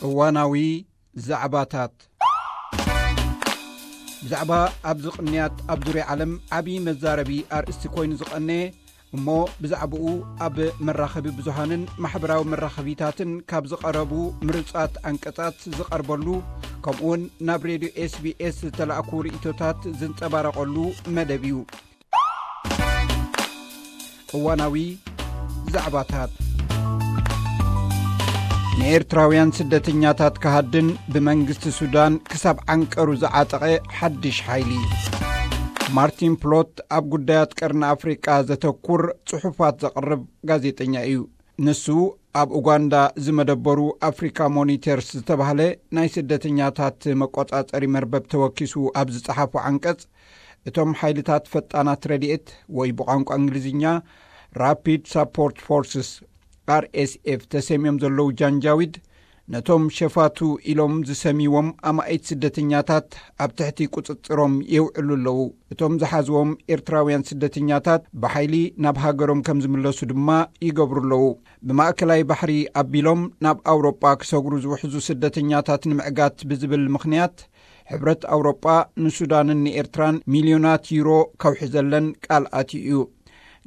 እዋናዊ ዛዕባታት። ብዛዕባ ኣብዚ ቅንያት ኣብ ዙርያ ዓለም ዓብዪ መዛረቢ ኣርእስቲ ኮይኑ ዝቐነየ፣ እሞ ብዛዕባኡ ኣብ መራኸቢ ብዙሃንን ማሕበራዊ መራኸቢታትን ካብ ዝቐረቡ ምርጻት ኣንቀጻት ዝቐርበሉ፣ ከምኡውን ናብ ሬድዮ ኤስቢኤስ ዝተላእኩ ርእይቶታት ዝንጸባረቐሉ መደብ እዩ። እዋናዊ ዛዕባታት። ንኤርትራውያን ስደተኛታት ክሃድን ብመንግስቲ ሱዳን ክሳብ ዓንቀሩ ዝዓጠቐ ሓድሽ ሓይሊ። ማርቲን ፕሎት ኣብ ጉዳያት ቀርኒ ኣፍሪቃ ዘተኩር ጽሑፋት ዘቕርብ ጋዜጠኛ እዩ። ንሱ ኣብ ኡጋንዳ ዝመደበሩ ኣፍሪካ ሞኒተርስ ዝተባህለ ናይ ስደተኛታት መቆጻጸሪ መርበብ ተወኪሱ ኣብ ዝጸሓፎ ዓንቀጽ፣ እቶም ሓይልታት ፈጣናት ረድኤት ወይ ብቋንቋ እንግሊዝኛ ራፒድ ሳፖርት ፎርስስ፣ ኣርኤስኤፍ፣ ተሰምዮም ዘለዉ ጃንጃዊድ፣ ነቶም ሸፋቱ ኢሎም ዝሰምይዎም ኣማኢት ስደተኛታት ኣብ ትሕቲ ቁጽጽሮም የውዕሉ ኣለዉ። እቶም ዝሓዝዎም ኤርትራውያን ስደተኛታት ብሓይሊ ናብ ሃገሮም ከም ዝምለሱ ድማ ይገብሩ ኣለዉ። ብማእከላይ ባሕሪ ኣቢሎም ናብ ኣውሮጳ ክሰግሩ ዝውሕዙ ስደተኛታት ንምዕጋት ብዝብል ምኽንያት፣ ሕብረት ኣውሮጳ ንሱዳንን ንኤርትራን ሚልዮናት ዩሮ ከውሕዘለን ቃል ኣትዩ እዩ።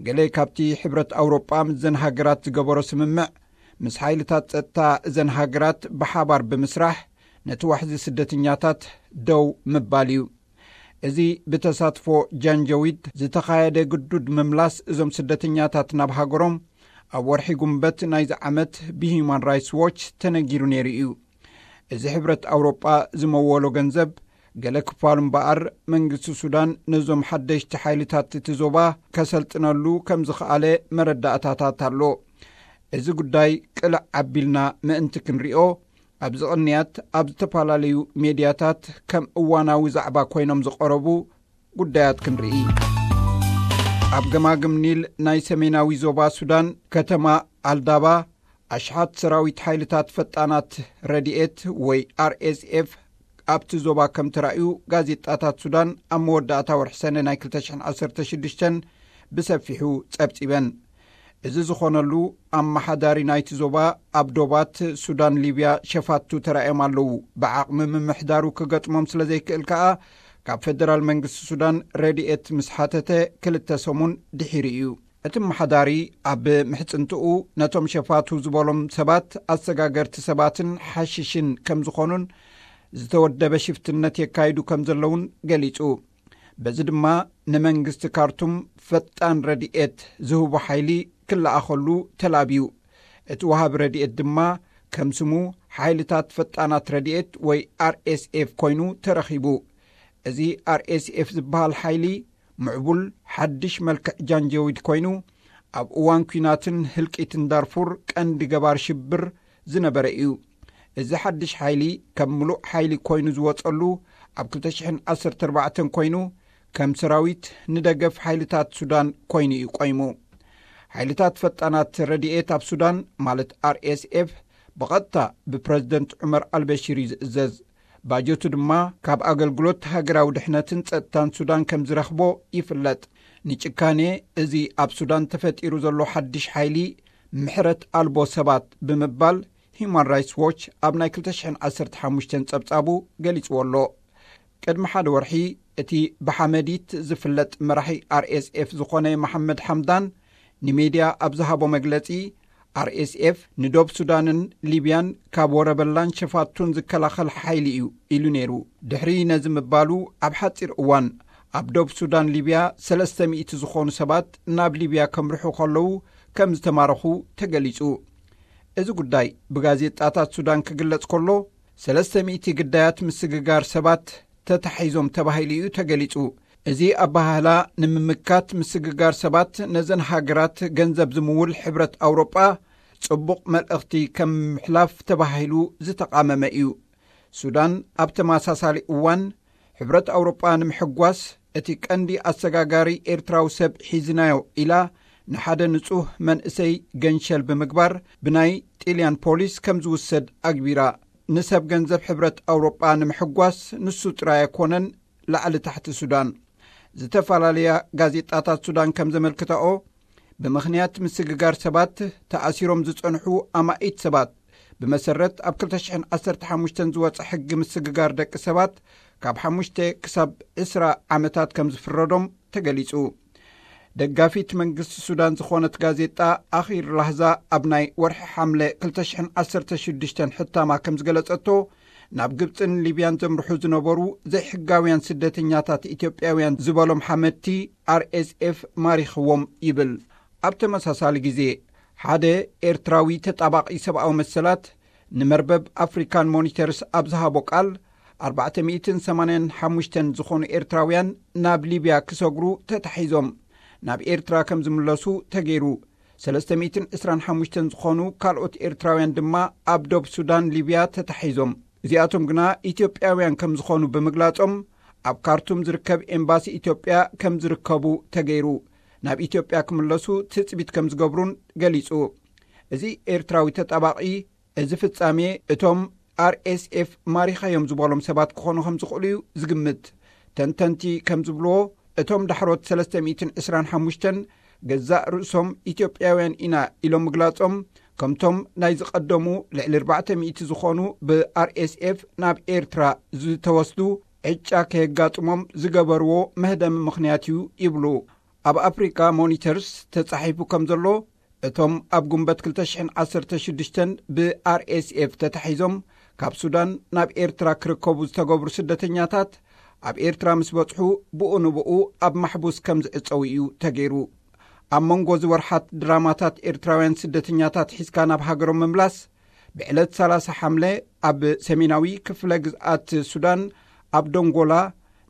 ገለ ካብቲ ሕብረት ኣውሮጳ ምስዘን ሃገራት ዝገበሮ ስምምዕ፣ ምስ ሓይልታት ጸጥታ እዘን ሃገራት ብሓባር ብምስራሕ፣ ነቲ ዋሕዚ ስደተኛታት ደው ምባል እዩ። እዚ ብተሳትፎ ጃንጀዊድ ዝተኻየደ ግዱድ ምምላስ እዞም ስደተኛታት ናብ ሃገሮም፣ ኣብ ወርሒ ጉንበት ናይዚ ዓመት ብሂዩማን ራይትስ ዎች ተነጊሩ ነይሩ እዩ። እዚ ሕብረት ኣውሮጳ ዝመወሎ ገንዘብ፣ ገለ ክፋሉ እምበኣር፣ መንግስቲ ሱዳን ነዞም ሓደሽቲ ሓይልታት እቲ ዞባ ከሰልጥነሉ ከም ዝኸኣለ መረዳእታታት ኣሎ። እዚ ጉዳይ ቅልዕ ኣቢልና ምእንቲ ክንሪኦ፣ ኣብዚ ቅንያት ኣብ ዝተፈላለዩ ሜድያታት ከም እዋናዊ ዛዕባ ኮይኖም ዝቐረቡ ጉዳያት ክንርኢ። ኣብ ገማግም ኒል ናይ ሰሜናዊ ዞባ ሱዳን፣ ከተማ ኣልዳባ፣ ኣሽሓት ሰራዊት ሓይልታት ፈጣናት ረድኤት ወይ ኣርኤስኤፍ ኣብቲ ዞባ ከም ተራእዩ ጋዜጣታት ሱዳን ኣብ መወዳእታ ወርሒ ሰነ ናይ ክልተ ሽሕን ዓሰርተ ሽዱሽተን ብሰፊሑ ጸብጺበን። እዚ ዝኾነሉ፣ ኣመሓዳሪ ናይቲ ዞባ ኣብ ዶባት ሱዳን ሊብያ ሸፋቱ ተራእዮም ኣለዉ። ብዓቕሚ ምምሕዳሩ ክገጥሞም ስለ ዘይክእል ከኣ፣ ካብ ፈደራል መንግስቲ ሱዳን ረድኤት ምስ ሓተተ ክልተ ሰሙን ድሒሩ እዩ። እቲ ኣመሓዳሪ ኣብ ምሕጽንትኡ፣ ነቶም ሸፋቱ ዝበሎም ሰባት ኣሰጋገርቲ ሰባትን ሓሽሽን ከም ዝኾኑን፣ ዝተወደበ ሽፍትነት የካይዱ ከም ዘለውን ገሊጹ። በዚ ድማ ንመንግስቲ ካርቱም ፈጣን ረድኤት ዝህቡ ሓይሊ ክለኣኸሉ ተላብዩ። እቲ ወሃቢ ረድኤት ድማ ከም ስሙ ሓይልታት ፈጣናት ረድኤት ወይ ኣርኤስኤፍ ኮይኑ ተረኺቡ። እዚ ኣርኤስኤፍ ዝበሃል ሓይሊ ምዕቡል ሓድሽ መልክዕ ጃንጀዊድ ኮይኑ፣ ኣብ እዋን ኲናትን ህልቂትን ዳርፉር ቀንዲ ገባር ሽብር ዝነበረ እዩ። እዚ ሓድሽ ሓይሊ ከም ምሉእ ሓይሊ ኮይኑ ዝወጸሉ ኣብ ክልተ ሽሕን ዓሰርተ ኣርባዕተን ኮይኑ፣ ከም ሰራዊት ንደገፍ ሓይልታት ሱዳን ኮይኑ እዩ ቆይሙ። ሓይልታት ፈጣናት ረድኤት ኣብ ሱዳን፣ ማለት ኣርኤስኤፍ፣ ብቐጥታ ብፕረዚደንት ዑመር ኣልበሺር እዩ ዝእዘዝ። ባጀቱ ድማ ካብ ኣገልግሎት ሃገራዊ ድሕነትን ጸጥታን ሱዳን ከም ዝረኽቦ ይፍለጥ። ንጭካኔ እዚ ኣብ ሱዳን ተፈጢሩ ዘሎ ሓድሽ ሓይሊ ምሕረት ኣልቦ ሰባት ብምባል፣ ሂዩማን ራይትስ ዎች ኣብ ናይ ክልተ ሽሕን ዓሰርተ ሓሙሽተን ጸብጻቡ ገሊጽዎ ኣሎ። ቅድሚ ሓደ ወርሒ፣ እቲ ብሓመዲት ዝፍለጥ መራሒ ኣርኤስኤፍ ዝኾነ መሓመድ ሓምዳን ንሜድያ ኣብ ዝሃቦ መግለጺ፣ ኣርኤስኤፍ ንዶብ ሱዳንን ሊብያን ካብ ወረበላን ሸፋቱን ዝከላኸል ሓይሊ እዩ ኢሉ ነይሩ። ድሕሪ ነዚ ምባሉ፣ ኣብ ሓጺር እዋን ኣብ ዶብ ሱዳን ሊብያ ሰለስተ ሚእቲ ዝኾኑ ሰባት ናብ ሊብያ ከምርሑ ከለዉ ከም ዝተማረኹ ተገሊጹ። እዚ ጉዳይ ብጋዜጣታት ሱዳን ክግለጽ ከሎ፣ ሰለስተ ሚእቲ ግዳያት ምስግጋር ሰባት ተታሒዞም ተባሂሉ እዩ ተገሊጹ። እዚ ኣበሃህላ ንምምካት ምስግጋር ሰባት ነዘን ሃገራት ገንዘብ ዝምውል ሕብረት ኣውሮጳ ጽቡቕ መልእኽቲ ከም ምሕላፍ ተባሂሉ ዝተቓመመ እዩ። ሱዳን ኣብ ተመሳሳሊ እዋን ሕብረት ኣውሮጳ ንምሕጓስ እቲ ቀንዲ ኣሰጋጋሪ ኤርትራዊ ሰብ ሒዝናዮ ኢላ ንሓደ ንጹህ መንእሰይ ገንሸል ብምግባር ብናይ ጢልያን ፖሊስ ከም ዝውሰድ ኣግቢራ። ንሰብ ገንዘብ ሕብረት ኣውሮጳ ንምሕጓስ ንሱ ጥራይ ኣይኮነን ላዕሊ ታሕቲ ሱዳን። ዝተፈላለያ ጋዜጣታት ሱዳን ከም ዘመልክታኦ፣ ብምኽንያት ምስግጋር ሰባት ተኣሲሮም ዝጸንሑ ኣማኢት ሰባት ብመሰረት ኣብ ክልተ ሽሕን ዓሰርተ ሓሙሽተን ዝወጸ ሕጊ ምስግጋር ደቂ ሰባት ካብ ሓሙሽተ ክሳብ ዕስራ ዓመታት ከም ዝፍረዶም ተገሊጹ። ደጋፊት መንግስቲ ሱዳን ዝኾነት ጋዜጣ ኣኺር ላህዛ ኣብ ናይ ወርሒ ሓምለ ክልተ ሽሕን ዓሰርተ ሽዱሽተን ሕታማ ከም ዝገለጸቶ፣ ናብ ግብጽን ሊብያን ዘምርሑ ዝነበሩ ዘይሕጋውያን ስደተኛታት ኢትዮጵያውያን ዝበሎም ሓመድቲ ኣር ኤስ ኤፍ ማሪኽዎም ይብል። ኣብ ተመሳሳሊ ግዜ፣ ሓደ ኤርትራዊ ተጣባቒ ሰብኣዊ መሰላት ንመርበብ ኣፍሪካን ሞኒተርስ ኣብ ዝሃቦ ቃል፣ ኣርባዕተ ሚእትን ሰማንያን ሓሙሽተን ዝኾኑ ኤርትራውያን ናብ ሊብያ ክሰግሩ ተታሒዞም ናብ ኤርትራ ከም ዝምለሱ ተገይሩ። ሰለስተ ሚእትን ዕስራን ሓሙሽተን ዝኾኑ ካልኦት ኤርትራውያን ድማ ኣብ ዶብ ሱዳን ሊብያ ተታሒዞም። እዚኣቶም ግና ኢትዮጵያውያን ከም ዝኾኑ ብምግላጾም፣ ኣብ ካርቱም ዝርከብ ኤምባሲ ኢትዮጵያ ከም ዝርከቡ ተገይሩ። ናብ ኢትዮጵያ ክምለሱ ትጽቢት ከም ዝገብሩን ገሊጹ። እዚ ኤርትራዊ ተጣባቒ፣ እዚ ፍጻሜ እቶም ኣር ኤስ ኤፍ ማሪኻዮም ዝበሎም ሰባት ክኾኑ ከም ዝኽእሉ እዩ ዝግምት። ተንተንቲ ከም ዝብልዎ፣ እቶም ዳሕሮት ሰለስተ ሚእትን ዕስራን ሓሙሽተን ገዛእ ርእሶም ኢትዮጵያውያን ኢና ኢሎም ምግላጾም፣ ከምቶም ናይ ዝቐደሙ ልዕሊ ኣርባዕተ ሚእቲ ዝኾኑ ብ ኣር ኤስ ኤፍ ናብ ኤርትራ ዝተወስዱ ዕጫ ከየጋጥሞም ዝገበርዎ መህደሚ ምኽንያት እዩ ይብሉ። ኣብ ኣፍሪካ ሞኒተርስ ተጻሒፉ ከም ዘሎ፣ እቶም ኣብ ጉንበት ክልተ ሽሕን ዓሰርተ ሽዱሽተን ብ ኣር ኤስ ኤፍ ተታሒዞም ካብ ሱዳን ናብ ኤርትራ ክርከቡ ዝተገብሩ ስደተኛታት፣ ኣብ ኤርትራ ምስ በጽሑ ብኡ ንብኡ ኣብ ማሕቡስ ከም ዝዕጸዉ እዩ ተገይሩ። ኣብ መንጎ ዝወርሓት ድራማታት ኤርትራውያን ስደተኛታት ሒዝካ ናብ ሃገሮም ምምላስ፣ ብዕለት ሰላሳ ሓምለ ኣብ ሰሜናዊ ክፍለ ግዝኣት ሱዳን ኣብ ዶንጎላ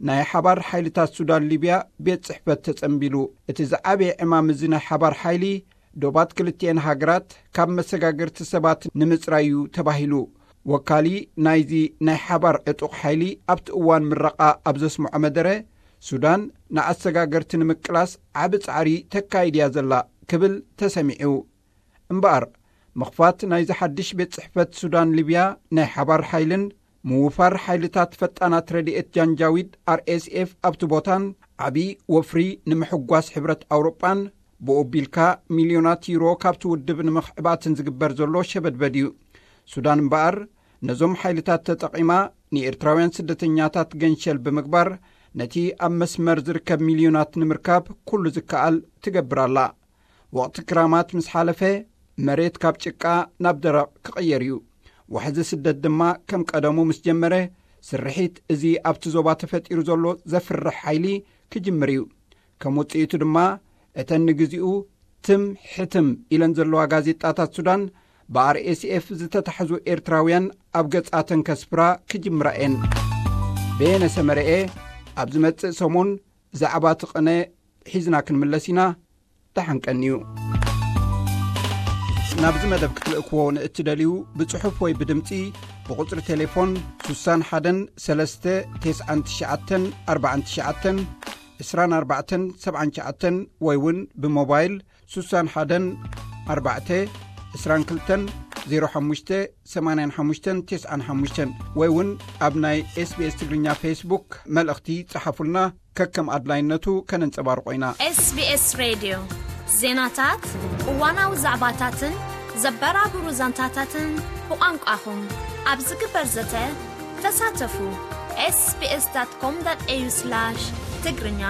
ናይ ሓባር ሓይልታት ሱዳን ሊብያ ቤት ጽሕፈት ተጸንቢሉ። እቲ ዝዓበየ ዕማም እዚ ናይ ሓባር ሓይሊ፣ ዶባት ክልቲኤን ሃገራት ካብ መሰጋገርቲ ሰባት ንምጽራይ እዩ ተባሂሉ። ወካሊ ናይዚ ናይ ሓባር ዕጡቕ ሓይሊ ኣብቲ እዋን ምረቓ ኣብ ዘስምዖ መደረ፣ ሱዳን ንኣሰጋገርቲ ንምቅላስ ዓቢ ጻዕሪ ተካይድ እያ ዘላ ክብል ተሰሚዑ። እምበኣር፣ ምኽፋት ናይዚ ሓድሽ ቤት ጽሕፈት ሱዳን ሊብያ ናይ ሓባር ሓይልን ምውፋር ሓይልታት ፈጣናት ረድኤት ጃንጃዊድ ኣር ኤስ ኤፍ ኣብቲ ቦታን ዓቢ ወፍሪ ንምሕጓስ ሕብረት ኣውሮጳን ብኡ ኣቢልካ ሚልዮናት ዩሮ ካብቲ ውድብ ንምኽዕባትን ዝግበር ዘሎ ሸበድበድ እዩ። ሱዳን እምበኣር ነዞም ሓይልታት ተጠቒማ ንኤርትራውያን ስደተኛታት ገንሸል ብምግባር ነቲ ኣብ መስመር ዝርከብ ሚልዮናት ንምርካብ ኩሉ ዝከኣል ትገብር ኣላ። ወቕቲ ክራማት ምስ ሓለፈ መሬት ካብ ጭቃ ናብ ደረቕ ክቕየር እዩ። ዋሕዚ ስደት ድማ ከም ቀደሙ ምስ ጀመረ ስርሒት እዚ ኣብቲ ዞባ ተፈጢሩ ዘሎ ዘፍርሕ ሓይሊ ክጅምር እዩ። ከም ውጽኢቱ ድማ እተን ንግዚኡ ትም ሕትም ኢለን ዘለዋ ጋዜጣታት ሱዳን ብ ኣር ኤስ ኤፍ ዝተታሕዙ ኤርትራውያን ኣብ ገጻተን ከስፍራ ክጅምራ እየን። በየነ ሰመረኤ ኣብ ዝመጽእ ሰሙን ዛዕባ ትቕነ ሒዝና ክንምለስ ኢና። ደሓን ቀንዩ። ናብዚ መደብ ክትልእክዎ ንእትደልዩ ብጽሑፍ ወይ ብድምጺ ብቁጽሪ ቴሌፎን ሱሳን ሓደን ሰለስተ ተስዓን ትሽዓተን ኣርባዓን ትሽዓተን ዕስራን ኣርባዕተን ሰብዓን ትሽዓተን ወይ እውን ብሞባይል ሱሳን ሓደን ኣርባዕተ ዕስራን ክልተን ዜሮ ሓሙሽተ ሰማንያን ሓሙሽተን ተስዓን ሓሙሽተን ወይ እውን ኣብ ናይ ኤስ ቢ ኤስ ትግርኛ ፌስቡክ መልእኽቲ ጸሓፉልና። ከከም ኣድላይነቱ ከነንጸባርቆ ኢና። ኤስ ቢ ኤስ ሬድዮ፣ ዜናታት፣ እዋናዊ ዛዕባታትን ዘበራብሩ ዛንታታትን ብቋንቋኹም ኣብ ዝግበር ዘተ ተሳተፉ። ኤስ ቢ ኤስ ዳት ኮም ዳት ኤ ዩ ስላሽ ትግርኛ።